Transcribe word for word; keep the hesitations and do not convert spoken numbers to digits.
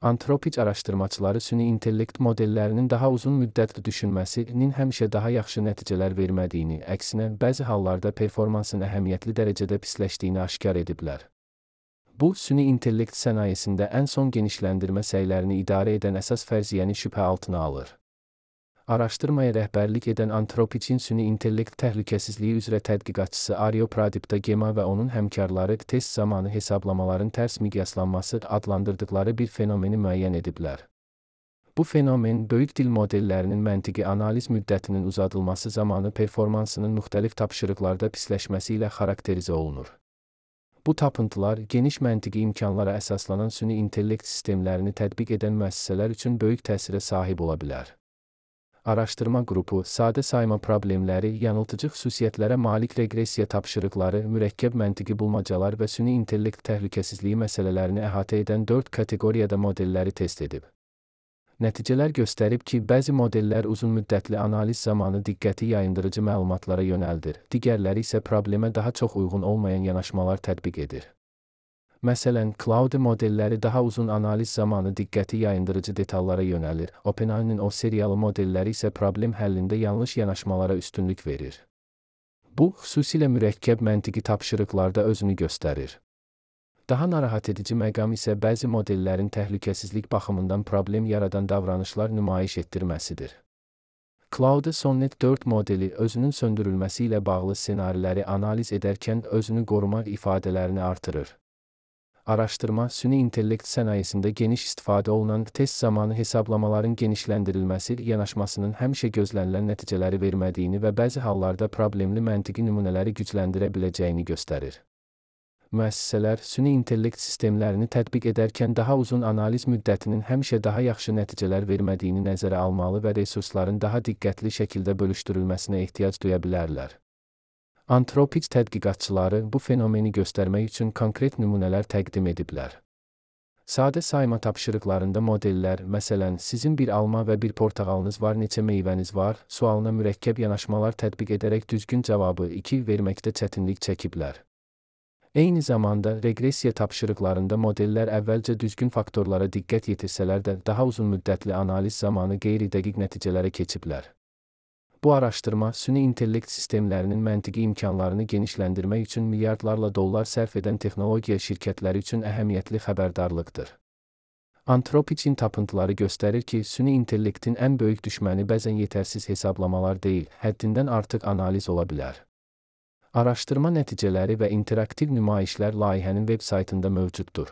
Antropic araşdırmaçıları süni intellekt modellərinin daha uzun müddətli düşünməsinin həmişə daha yaxşı nəticələr vermədiyini, əksinə bəzi hallarda performansın əhəmiyyətli dərəcədə pisləşdiyini aşkar ediblər. Bu, süni intellekt sənayesində ən son genişləndirmə səylərini idarə edən əsas fərziyyəni şübhə altına alır. Araşdırmaya rəhbərlik edən Antropicin süni intellekt təhlükəsizliyi üzrə tədqiqatçısı Aryo Pradipta Gema və onun həmkarları test zamanı hesablamaların tərs miqyaslanması adlandırdıqları bir fenomeni müəyyən ediblər. Bu fenomen, böyük dil modellərinin məntiqi analiz müddətinin uzadılması zamanı performansının müxtəlif tapşırıqlarda pisləşməsi ilə xarakterizə olunur. Bu tapıntılar, geniş məntiqi imkanlara əsaslanan süni intellekt sistemlərini tətbiq edən müəssisələr üçün böyük təsirə sahib ola bilər. Araşdırma qrupu, sadə sayma problemləri, yanıltıcı xüsusiyyətlərə malik reqressiya tapşırıqları, mürəkkəb məntiqi bulmacalar və süni intellekt təhlükəsizliyi məsələlərini əhatə edən dörd kateqoriyada modelləri test edib. Nəticələr göstərib ki, bəzi modellər uzun müddətli analiz zamanı diqqəti yayındırıcı məlumatlara yönəldir, digərləri isə problemə daha çox uyğun olmayan yanaşmalar tətbiq edir. Məsələn, Claude modelləri daha uzun analiz zamanı diqqəti yayındırıcı detallara yönəlir, OpenAI'nin o seriyalı modelləri isə problem həllində yanlış yanaşmalara üstünlük verir. Bu, xüsusilə mürəkkəb məntiqi tapşırıqlarda özünü göstərir. Daha narahat edici məqam isə bəzi modellərin təhlükəsizlik baxımından problem yaradan davranışlar nümayiş etdirməsidir. Claude Sonnet dörd modeli özünün söndürülməsi ilə bağlı ssenariləri analiz edərkən özünü qorumaq ifadələrini artırır. Araşdırma, süni intellekt sənayesində geniş istifadə olunan test zamanı hesablamaların genişləndirilməsi yanaşmasının həmişə gözlənilən nəticələri vermədiyini və bəzi hallarda problemli məntiqi nümunələri gücləndirə biləcəyini göstərir. Müəssisələr, süni intellekt sistemlərini tətbiq edərkən daha uzun analiz müddətinin həmişə daha yaxşı nəticələr vermədiyini nəzərə almalı və resursların daha diqqətli şəkildə bölüşdürülməsinə ehtiyac duya bilərlər. Antropic tədqiqatçıları bu fenomeni göstərmək üçün konkret nümunələr təqdim ediblər. Sadə sayma tapşırıqlarında modellər, məsələn, sizin bir alma və bir portağalınız var, neçə meyvəniz var, sualına mürəkkəb yanaşmalar tətbiq edərək düzgün cavabı iki verməkdə çətinlik çəkiblər. Eyni zamanda, reqressiya tapşırıqlarında modellər əvvəlcə düzgün faktorlara diqqət yetirsələr də daha uzun müddətli analiz zamanı qeyri-dəqiq nəticələrə keçiblər. Bu araşdırma, süni intellekt sistemlərinin məntiqi imkanlarını genişləndirmək üçün milyardlarla dollar sərf edən texnologiya şirkətləri üçün əhəmiyyətli xəbərdarlıqdır. Antropicin tapıntıları göstərir ki, süni intellektin ən böyük düşməni bəzən yetərsiz hesablamalar deyil, həddindən artıq analiz ola bilər. Araşdırma nəticələri və interaktiv nümayişlər layihənin veb saytında mövcuddur.